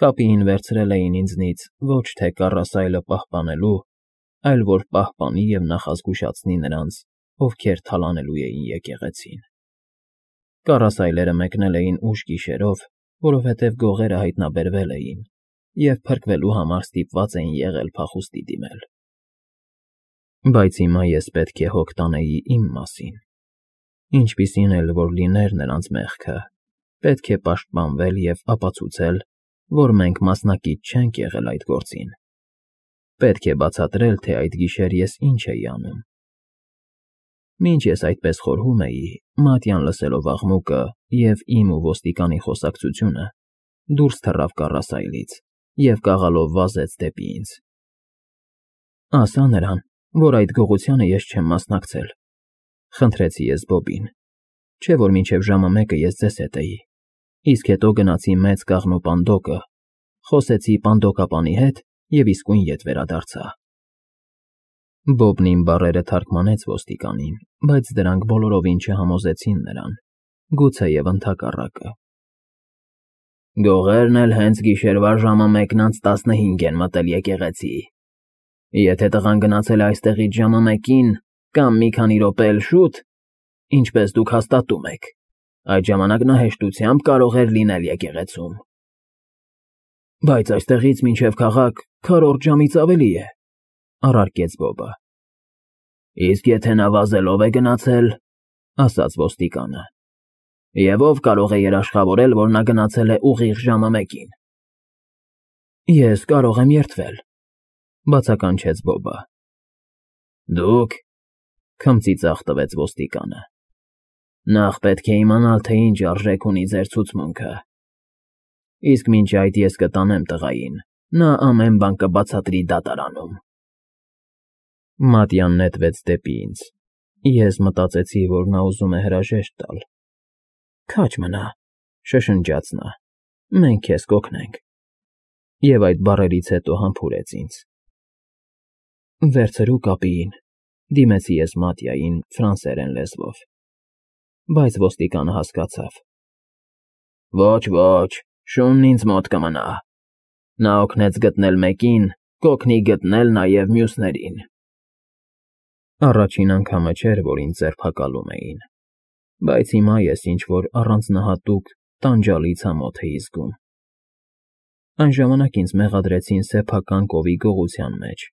Կապիին վերցրել էին ինձնից ոչ թե կառասայլը պահպանելու, այլ որ պահպանի և նախազգուշացնի նրանց, ովքեր թալանելու էին եկեղեցին։ Կառասայլերը մեկնել էին ուշ գիշերով, որովհետև գողերը հայտնաբերվել էին և փրկվելու համար ստիպված էին եղել փախուստի դիմել։ Բայց հիմա ես պետք է հոգ տանեի իմ մասին։ Ինչպիսին էլ որ լիներ նրանց մեղքը, պետք է պաշտպանվել և ապացուցել, որ մենք մասնակից չենք եղել այդ գործին։ Պետք է բացատրել, թե այդ գիշեր ես ինչ էի անում։ Մինչ ես այդպես խորհում էի, Մատյան լսելով աղմուկը և իմ ու ոստիկանի խոսակցությունը, դուրս թռավ կառասայլից և կաղալով վազեց դեպի ինձ։ «Ասա նրան, որ այդ գողությանը ես չեմ մասնակցել», ֊ խնդրեցի ես Բոբին, չէ՞ որ մինչև ժամը 1-ը ես ձեզ հետ էի, իսկ հետո գնացի մեծ կաղնու պանդոկը, խոսեցի պանդոկապանի հետ և իսկույն ետ վերադարձա։ Բոբն իմ բառերը թարգմանեց ոստիկանին, բայց դրանք բոլորովին չհամոզեցին նրան, գուցեև ընդհակառակը։ «Գողերն էլ հենց գիշերվա ժամը 1:15 են մտել եկեղեցի։ Եթե տղան գնացել է այստեղից ժամը 1-ին կամ մի քանի րոպե էլ շուտ, ինչպես դուք հաստատում եք, այդ ժամանակ նա հեշտությամբ կարող էր լինել եկեղեցում»։ «Բայց այստեղից մինչև քաղաք 4 ժամից ավելի է», ֊ առարկեց Բոբը։ «Իսկ եթե նա վազելով է գնացել», ֊ ասաց ոստիկանը, «և ով կարող է երաշխավորել, որ նա գնացել է ուղիղ ժամը 1-ին»։ «Ես կարող եմ երդվել», ֊ բացականչեց Բոբը։ «Դուք», ֊ քմծի ծախ տվեց ոստիկանը, «նախ պետք է իմանալ, թե ինչ արժեք ունի ձեր ցուցմունքը։ Իսկ մինչ այդ ես կտանեմ տղային, նա ամեն բան կբացատրի դատարանում»։ Մատյան նետվեց դեպի ինձ։ Ես մտածեցի, որ նա ուզում է հրաժեշտ տալ։ «Քաջ մնա», ֊ շշնջաց նա, «մենք քեզ կօգնենք»։ Եվ այդ բառերից հետո համբուրեց ինձ։ «Վերցրու կապիին», ֊ դիմեցի ես Մատյային ֆրանսերեն լեզվով։ Բայց ոստիկանը հասկացավ։ «Ոչ, ոչ, շունն ինձ մոտ կմնա։ Նա օգնեց գտնել մեկին, կօգնի գտնել նաև մյուսներին»։ Առաջին անգամը չէր, որ ինձ ձերբակալում էին, բայց հիմա ես ինչ֊որ առանձնահատուկ տանջալի ցամոթ էի զգում։ Այն ժամանակ ինձ մեղադրեցին սեփական կովի գողության մեջ,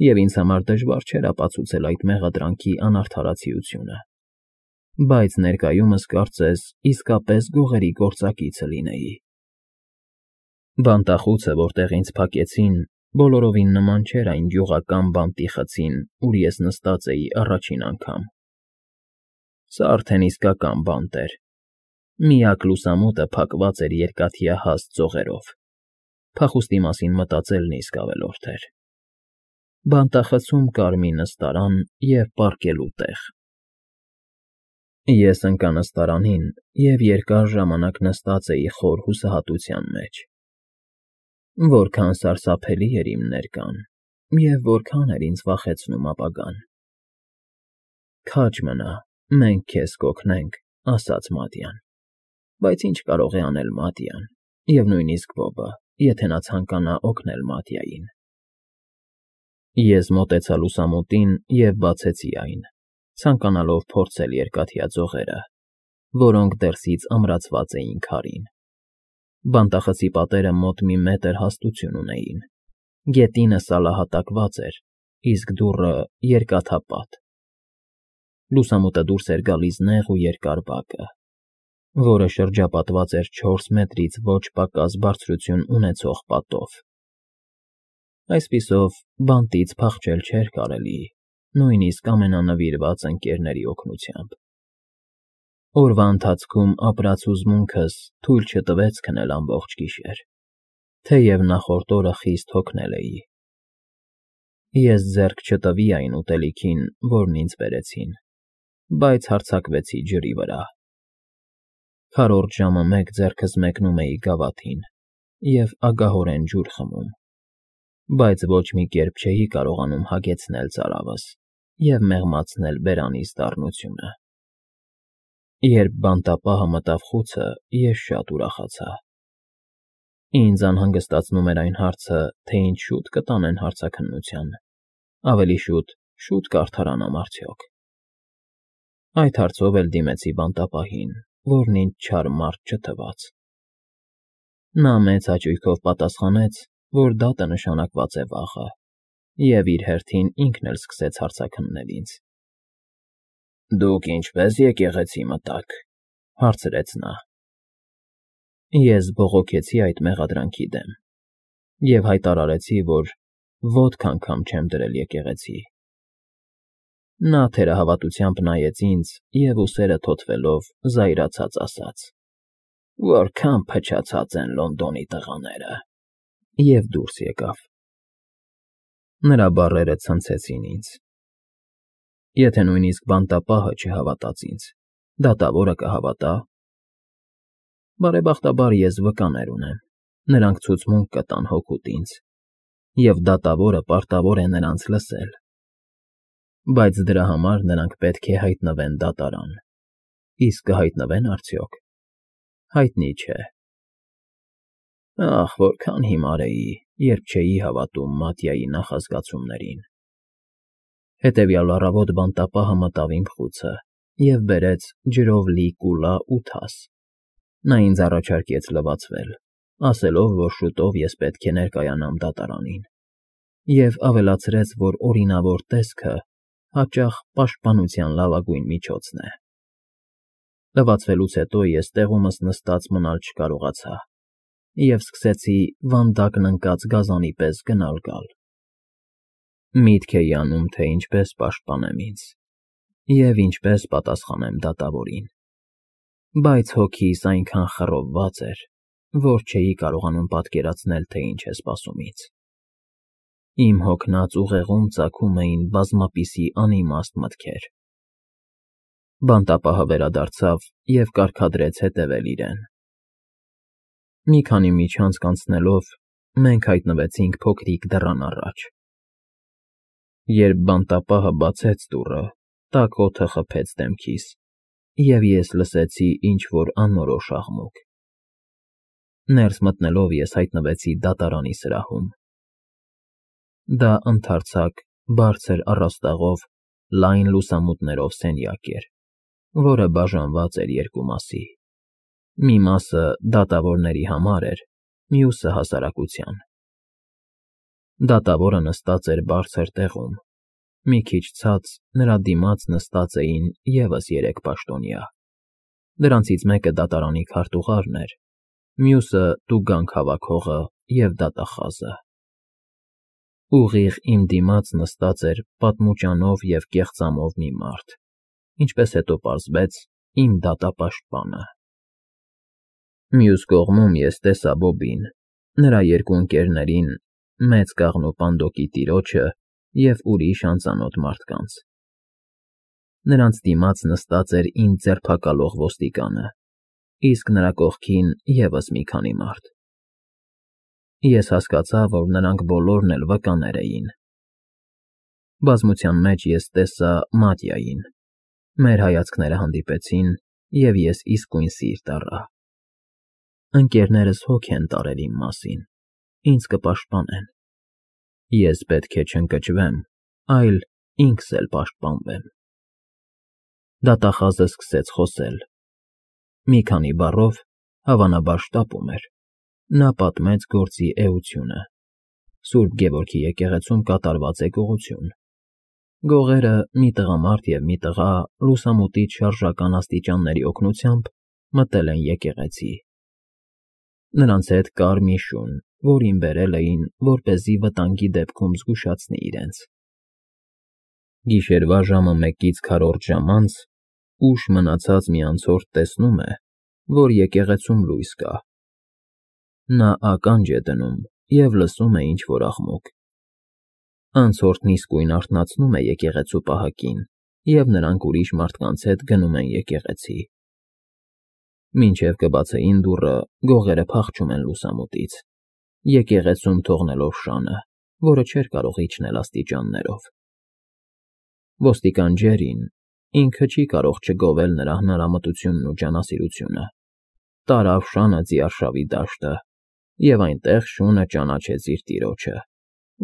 և ինձ համար դժվար չէր ապացուցել այդ մեղադրանքի անարդարացիությունը։ Բայց ներկայումս կարծես իսկապես գողերի գործակիցը լինեի։ Բանտախուցը, որտեղ ինձ փակեցին, բոլորովին նման չէր այն գյուղական բանտի խցին, ուր ես նստած էի առաջին անգամ։ Սա արդեն իսկական բանտ էր։ Միակ լուսամուտը փակված էր երկաթյա հաստ ծողերով։ Փախուստի մասին մտածելն իսկ ավելորդ էր։ Բանտախցում կար մի նստարան և պառկելու տեղ։ Ես ընկա նստարանին և երկար ժամանակ նստած էի խոր հուսահատության մեջ։ Որքան սարսափելի էր իմ ներկան, և որքան էր ինձ վախեցնում ապագան։ «Քաջ մնա, մենք քեզ կօգնենք», ֊ ասաց Մատյան։ Բայց ինչ կարող է անել Մատյան, և նույնիսկ Բոբը, եթե նա ցանկանա օգնել Մատյային։ Ես մոտեցա լուսամուտին և բացեցի այն, ցանկանալով փորձել երկաթյա ծողերը, որոնք դրսից ամրացված էին քարին։ Բանտախցի պատերը մոտ մի մետր հաստություն ունեին։ Գետինը սալահատակված էր, իսկ դուռը երկաթապատ։ Լուսամուտը դուրս էր գալիս նեղ ու երկար բակը, որը շրջապատված էր 4 մետրից ոչ պակաս բարձրություն ունեցող պատով։ Այսպիսով, բանտից փախչել չէր կարելի, նույնիսկ ամենանվիրված ընկերների օգնությամբ։ Օրվա ընթացքում ապրած հուզմունքս թույլ չտվեց քնել ամբողջ գիշեր, թեև նախորդ օրը խիստ հոգնել էի։ Ես ձեռք չտվի այն ուտելիքին, որն ինձ բերեցին, բայց հարձակվեցի ջրի վրա։ Քառորդ ժամը 1 ձեռքս մեկնում էի գավաթին և ագահորեն ջուր խմում, բայց ոչ մի կերպ չէի կարողանում հագեցնել ծարավս և մեղմացնել բերանիս դառնությունը։ Երբ բանտապահը մտավ խուցը, ես շատ ուրախացա։ Ինձ անհանգստացնում էր այն հարցը, թե ինչ շուտ կտանեն հարցաքննության, ավելի շուտ կարդարանամ արդյոք։ Այդ հարցով էլ դիմեցի բանտապահին, որն ինձ չար մարդ չթվաց։ Նա մեծ հաճույքով պատասխանեց, որ դատը նշանակված է վաղը, և իր հերթին ինքն էլ սկսեց հարցաքննել ինձ։ «Դուք ինչպե՞ս եկեղեցի մտաք», հարցրեց նա։ Ես բողոքեցի այդ մեղադրանքի դեմ և հայտարարեցի, որ ոտք անգամ չեմ դրել եկեղեցի։ Նա թերահավատությամբ նայեց ինձ և ուսերը թոթվելով զայրացած ասաց. «Որքան փչացած են Լոնդոնի տղաները», և դուրս եկավ։ Նրա բառերը ցնցեցին ինձ։ Եթե նույնիսկ բանտապահը չհավատաց ինձ, դատավորը կհավատա՞։ Բարեբախտաբար ես վկաներ ունեմ, նրանք ցուցմունք կտան հօգուտ ինձ, և դատավորը պարտավոր է նրանց լսել։ Բայց դրա համար նրանք պետք է հայտնվեն դատարան։ Իսկ կհայտնվե՞ն արդյոք։ Հայտնի չէ։ Ախ, որքան հիմար էի, երբ չէի հավատում Մատյայի նախազգացումներին։ Հետևյալ առավոտ բանտապահը մտավ իմ խուցը և բերեց ջրով լի կուլա ու թաս։ Նա ինձ առաջարկեց լվացվել, ասելով, որ շուտով ես պետք է ներկայանամ դատարանին, և ավելացրեց, որ օրինավոր տեսքը հաճախ պաշտպանության լավագույն միջոցն է։ Լվացվելուց հետո ես տեղումս նստած մնալ չկարողացա և սկսեցի վանդակն ընկած գազանի պես գնալ֊գալ։ Միտք էի անում, թե ինչպես պաշտպանեմ ինձ և ինչպես պատասխանեմ դատավորին, բայց հոգիս այնքան խռովված էր, որ չէի կարողանում պատկերացնել, թե ինչ է սպասում ինձ։ Իմ հոգնած ուղեղում ծագում էին բազմապիսի անիմաստ մտքեր։ Բանտապահը վերադարձավ և կարգադրեց հետևել իրեն։ Մի քանի միջանցք անցնելով մենք հայտնվեցինք փոքրիկ դռան առաջ։ Երբ բանտապահը բացեց դուռը, տաք օդը խփեց դեմքիս, և ես լսեցի ինչ֊որ անորոշ աղմուկ։ Ներս մտնելով ես հայտնվեցի դատարանի սրահում։ Դա ընդարձակ, բարձր առաստաղով, լայն լուսամուտներով սենյակ էր, որը բաժանված էր երկու մասի։ Մի մասը դատավորների համար էր, մյուսը հասարակության։ Դատավորը նստած էր բարձր տեղում։ Մի քիչ ցած նրա դիմաց նստած էին ևս 3 պաշտոնյա։ Դրանցից մեկը դատարանի քարտուղարն էր, մյուսը տուգանք հավաքողը և դատախազը։ Ուղիղ իմ դիմաց նստած էր պատմուճանով և կեղծամով մի մարդ, ինչպես հետո պարզվեց, իմ դատապաշտպանը։ Մյուս կողմում ես տեսա Բոբին, նրա 2 ընկերներին, մեծ կաղնու պանդոկի տիրոջը և ուրիշ անծանոթ մարդկանց։ Նրանց դիմաց նստած էր ինձ ձերբակալող ոստիկանը, իսկ նրա կողքին ևս մի քանի մարդ։ Ես հասկացա, որ նրանք բոլորն էլ վկաներ էին։ Բազմության մեջ ես տեսա Մատյային։ Մեր հայացքները հանդիպեցին, և ես իսկույն սիրտ առա։ Ընկերներս հոգ են տարել իմ մասին, ինձ կպաշտպանեն։ Ես պետք է չընկճվեմ, այլ ինքս էլ պաշտպանվեմ։ Դատախազը սկսեց խոսել։ Մի քանի բառով, հավանաբար շտապում էր, նա պատմեց գործի էությունը։ Սուրբ Գևորգի եկեղեցում կատարված է գողություն։ Գողերը՝ մի տղամարդ և մի տղա, լուսամուտից շարժական աստիճանների օգնությամբ մտել են եկեղեցի։ Նրանց հետ կար մի շուն, որին բերել էին, որպեսզի վտանգի դեպքում զգուշացնի իրենց։ Գիշերվա ժամը 1-ից քառորդ ժամ անց ուշ մնացած մի անցորդ տեսնում է, որ եկեղեցում լույս կա։ Նա ականջ է դնում և լսում է ինչ֊որ աղմուկ։ Անցորդն իսկույն արթնացնում է եկեղեցու պահակին, և նրանք ուրիշ մարդկանց հետ գնում են եկեղեցի։ Մինչև կբացեին դուռը, գողերը փախչում են լուսամուտից, եկեղեցում թողնելով շանը, որը չէր կարող իջնել աստիճաններով։ Ոստիկան Ջերին, ինքը չի կարող չգովել նրա հնարամտությունն ու ջանասիրությունը, տարավ շանը ձիարշավի դաշտը և այնտեղ շունը ճանաչեց իր տիրոջը,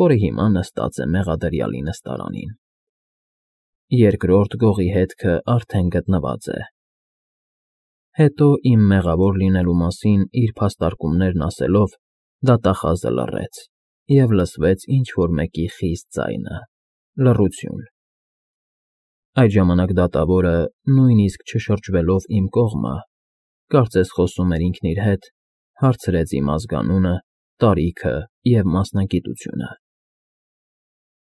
որը հիմա նստած է մեղադրյալի նստարանին։ Երկրորդ գողի հետքը արդեն գտնված է։ Հետո իմ մեղավոր լինելու մասին իր փաստարկումներն ասելով, դատախազը լռեց, և լսվեց ինչ-որ մեկի խիստ ձայնը՝ լռություն։ Այդ ժամանակ դատավորը, նույնիսկ չշրջվելով իմ կողմը, կարծես խոսում էր ինքն իր հետ, հարցրեց իմ ազգանունը, տարիքը և մասնագիտությունը։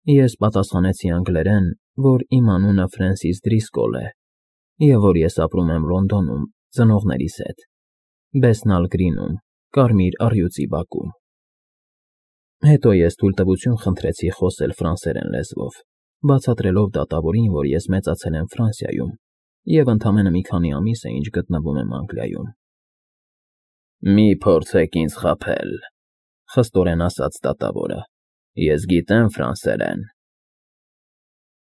Ես պատասխանեցի անգլերեն, որ իմ անունը Ֆրենսիս Դրիսկոլ է, և որ ես ապրում եմ Լոնդոնում ծնողներիս հետ, Բեսնալ Գրինում, Կարմիր առյուծի բակում։ Հետո ես թույլտվություն խնդրեցի խոսել ֆրանսերեն լեզվով, բացատրելով դատավորին, որ ես մեծացել եմ Ֆրանսիայում և ընդամենը մի քանի ամիս է, ինչ գտնվում եմ Անգլիայում։ «Մի փորձեք ինձ խաբել», խստորեն ասաց դատավորը, «ես գիտեմ ֆրանսերեն»։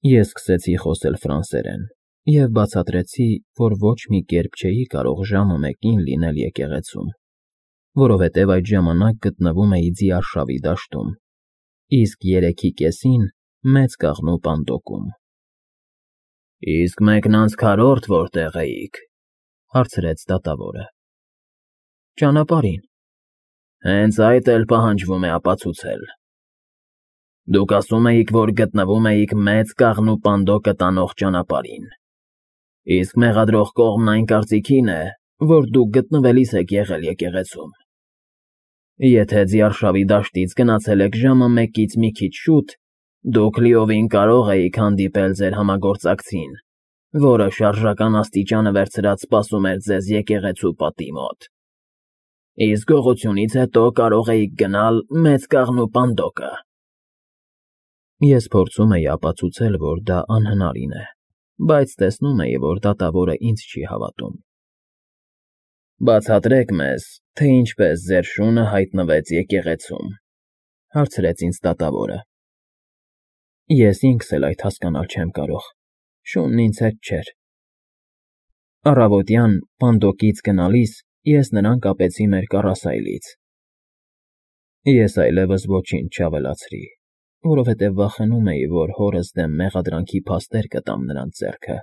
Ես սկսեցի խոսել ֆրանսերեն և բացատրեցի, որ ոչ մի կերպ չէի կարող ժամը մեկին լինել եկեղեցում, որովհետև այդ ժամանակ գտնվում էի ձիարշավի դաշտում, իսկ 3:30-ին Մեծ Կաղնու պանդոկում։ «Իսկ մեկնանց քառորդ որտեղ էիք», հարցրեց դատավորը։ «Ճանապարհին»։ «Հենց այդ էլ պահանջվում է ապացուցել։ Դուք ասում էիք, որ գտնվում էիք Մեծ Կաղնու պանդոկը տանող ճանապարհին, իսկ մեղադրող կողմն այն կարծիքին է, որ դուք գտնվելիս եք եղել եկեղեցում։ Եթե ձիարշավի դաշտից գնացել եք ժամը մեկից մի քիչ շուտ, դուք լիովին կարող էիք հանդիպել ձեր համագործակցին, որը շարժական աստիճանը վերցրած սպասում էր ձեզ եկեղեցու պատի մոտ։ Իսկ գողությունից հետո կարող էիք գնալ Մեծ Կաղնու պանդոկը»։ Ես փորձում էի ապացուցել, որ դա անհնարին է, բայց տեսնում էի, որ դատավորը ինձ չի հավատում։ «Բացատրեք մեզ, թե ինչպես ձեր շունը հայտնվեց եկեղեցում», հարցրեց ինձ դատավորը։ Ես ինքս էլ այդ հասկանալ չեմ կարող, շունն ինձ հետ չէր։ Առավոտյան պանդոկից գնալիս ես նրան կապեցի մեր կառասայլից։ Ես այլևս ոչինչ չավելացրի, որովհետև վախենում էի, որ հորս դեմ մեղադրանքի փաստեր կտամ նրանց ձեռքը։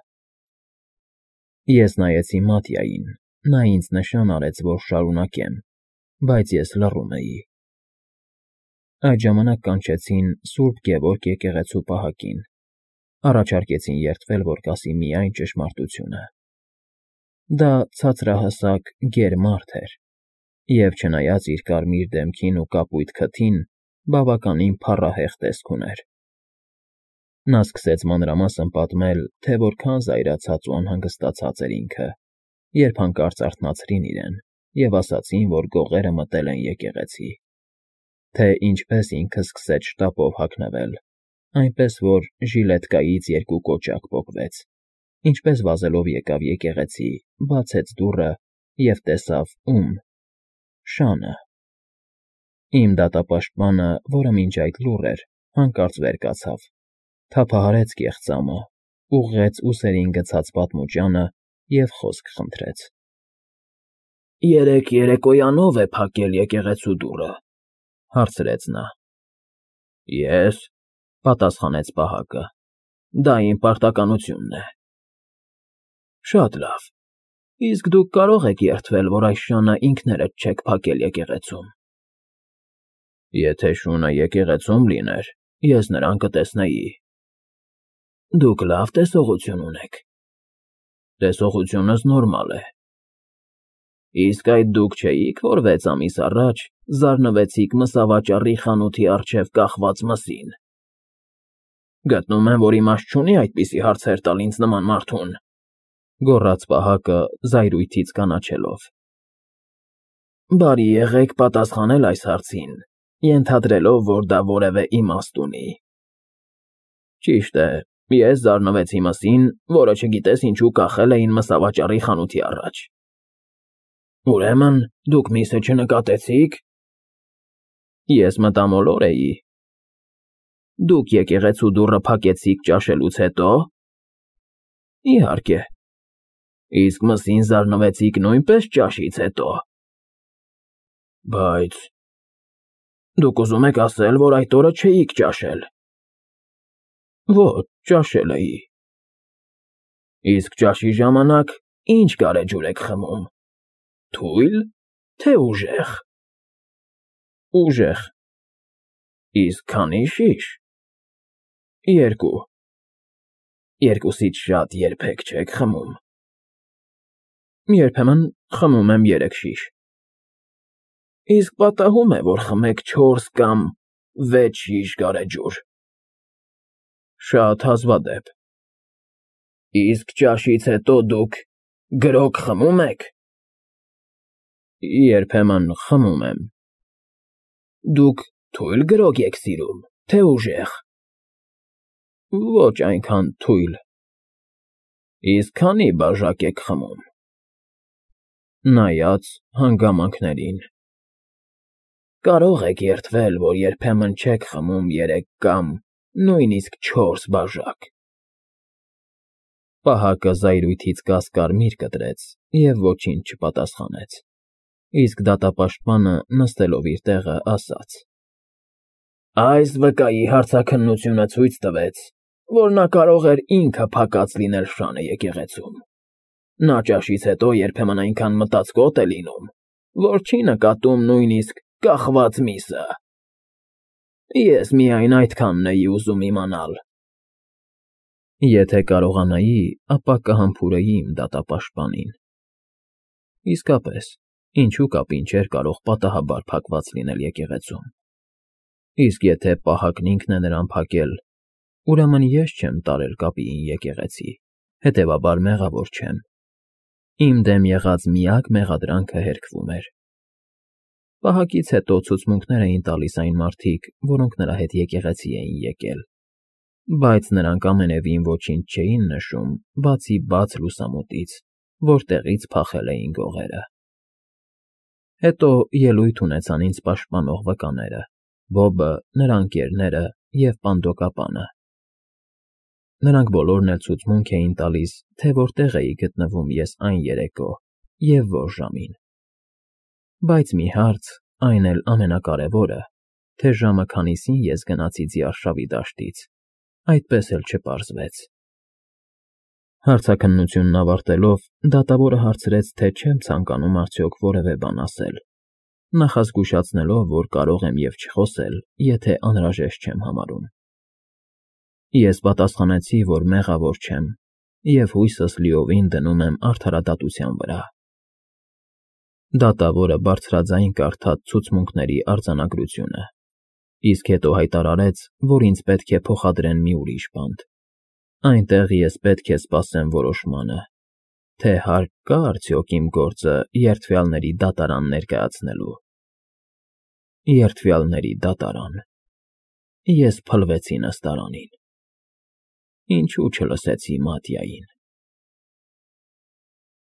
Ես նայեցի Մատյային, նա ինձ նշան արեց, որ շարունակեմ, բայց ես լռում էի։ Այդ ժամանակ կանչեցին Սուրբ Գևորգ եկեղեցու պահակին, առաջարկեցին երդվել, որ կասի միայն ճշմարտությունը։ Դա ցածրահասակ գեր մարդ էր, և չնայած իր կարմիր դեմքին ու կապույտ քթին, բավականին փառահեղ տեսք ուներ։ Նա սկսեց մանրամասն պատմել, թե որքան զայրացած ու անհանգստացած էր ինքը, երբ հանկարծ արթնացրին իրեն և ասացին, որ գողերը մտել են եկեղեցի, թե ինչպես ինքը սկսեց շտապով հագնվել, այնպես որ ժիլետկայից 2 կոճակ պոկվեց, ինչպես վազելով եկավ եկեղեցի, բացեց դուռը և տեսավ ում՝ Շանը։ Իմ դատապաշտպանը, որը մինչ այդ լուռ էր, հանկարծ վեր կացավ, թափահարեց կեղծամը, ուղղեց ուսերին գցած պատմուճանը և խոսք խնդրեց։ «Երեկ երեկոյան ո՞վ է փակել եկեղեցու դուռը», հարցրեց նա։ «Ես», պատասխանեց պահակը, «դա իմ պարտականությունն է»։ «Շատ լավ, իսկ դուք կարող եք երդվել, որ այս շանը ինքներդ չեք փակել եկեղեցում»։ «Եթե շունը եկեղեցում լիներ, ես նրան կտեսնեի»։ «Դուք լավ տեսողություն ունեք»։ «Տեսողությունս նորմալ է»։ «Իսկ այդ դուք չէիք, որ 6 ամիս առաջ զարնվեցիք մսավաճառի խանութի առջև կախված մսին»։ «Գտնում եմ, որ իմաստ չունի այդպիսի հարցեր տալ ինձ նման մարդուն», գոռաց պահակը զայրույթից կանաչելով։ «Բարի եղեք պատասխանել այս հարցին, ենթադրելով, որ դա որևէ իմաստ ունի»։ «Ճիշտ է, ես զարնվեցի մսին, որը չգիտես ինչու կախել էին մսավաճառի խանութի առաջ»։ «Ուրեմն դուք միսը չնկատեցի՞ք»։ «Ես մտամոլոր էի»։ «Դուք եկեղեցու դուռը փակեցիք ճաշելուց հետո»։ «Իհարկե»։ «Իսկ մսին զարնվեցիք նույնպես ճաշից հետո»։ «Բայց Դուք ուզում եք ասել, որ այդ օրը չէիք ճաշել։ Ոչ, ճաշել էի։ Իսկ ճաշի ժամանակ ինչ գարեջուր եք խմում։ Թույլ, թե ուժեղ։ Ուժեղ։ Իսկ քանի շիշ։ 2։ Երկուսից շատ երբեք չեք խմում։ Երբեմն խմում եմ 3 շիշ։ Իսկ պատահում է, որ խմեք 4 կամ 6 շիշ գարեջուր։ Շատ հազվադեպ։ Իսկ ճաշից հետո դուք գրոգ խմում եք։ Երբեմն խմում եմ։ Դուք թույլ գրոգ եք սիրում, թե ուժեղ։ Ոչ այնքան թույլ։ Իսկ քանի բաժակ եք խմում։ Նայած հանգամանքներին։ Կարող եք երդվել, որ երբեմն չեք խմում 3 կամ նույնիսկ 4 բաժակ։ Պահակը զայրույթից կասկարմիր կտրեց և ոչինչ չպատասխանեց, իսկ դատապաշտպանը, նստելով իր տեղը, ասաց. Այս վկայի հարցաքննությունը ցույց տվեց, որ նա կարող էր ինքը փակած լինել շանը եկեղեցում։ Նա ճաշից հետո երբեմն այնքան մտածկոտ է լինում, որ չի նկատում նույնիսկ կախված միսը։ Ես միայն այդքանն էի ուզում իմանալ։ Եթե կարողանայի, ապա կհամբուրեի իմ դատապաշտպանին։ Իսկապես, ինչու կապին չէր կարող պատահաբար փակված լինել եկեղեցում։ Իսկ եթե պահակն ինքն է նրան փակել, ուրեմն ես չեմ տարել կապիին եկեղեցի, հետևաբար մեղավոր չեմ։ Իմ դեմ եղած միակ մեղադրանքը հերքվում էր։ Պահակից հետո ցուցմունքներ էին տալիս այն մարդիկ, որոնք նրա հետ եկեղեցի էին եկել, բայց նրանք ամենևին ոչինչ չէին նշում, բացի բաց լուսամուտից, որտեղից փախել էին գողերը։ Հետո ելույթ ունեցան ինձ պաշտպանող վկաները՝ Բոբը, նրա ընկերները և պանդոկապանը։ Նրանք բոլորն էլ ցուցմունք էին տալիս, թե որտեղ էի գտնվում ես այն երեկո և որ ժամին։ Բայց մի հարց, այն էլ ամենակարևորը, թե ժամը քանիսին ես գնացի Ձիարշավի դաշտից, այդպես էլ չպարզվեց։ Հարցաքննությունն ավարտելով, դատավորը հարցրեց, թե չեմ ցանկանում արդյոք որևէ բան ասել, նախազգուշացնելով, որ կարող եմ և չխոսել, եթե անհրաժեշտ չեմ համարում։ Ես պատասխանեցի, որ մեղավոր չեմ և հույսս լիովին դնում եմ արդարադատության վրա։ Դատավորը բարձրաձայն կարդաց ցուցմունքների արձանագրությունը, իսկ հետո հայտարարեց, որ ինձ պետք է փոխադրեն մի ուրիշ բանտ։ Այնտեղ ես պետք է սպասեմ որոշմանը, թե հարկ կա արդյոք իմ գործը երդվյալների դատարան ներկայացնելու։ Երդվյալների դատարան։ Ես փլվեցի նստարանին։ Ինչու չլսեցի Մատյային։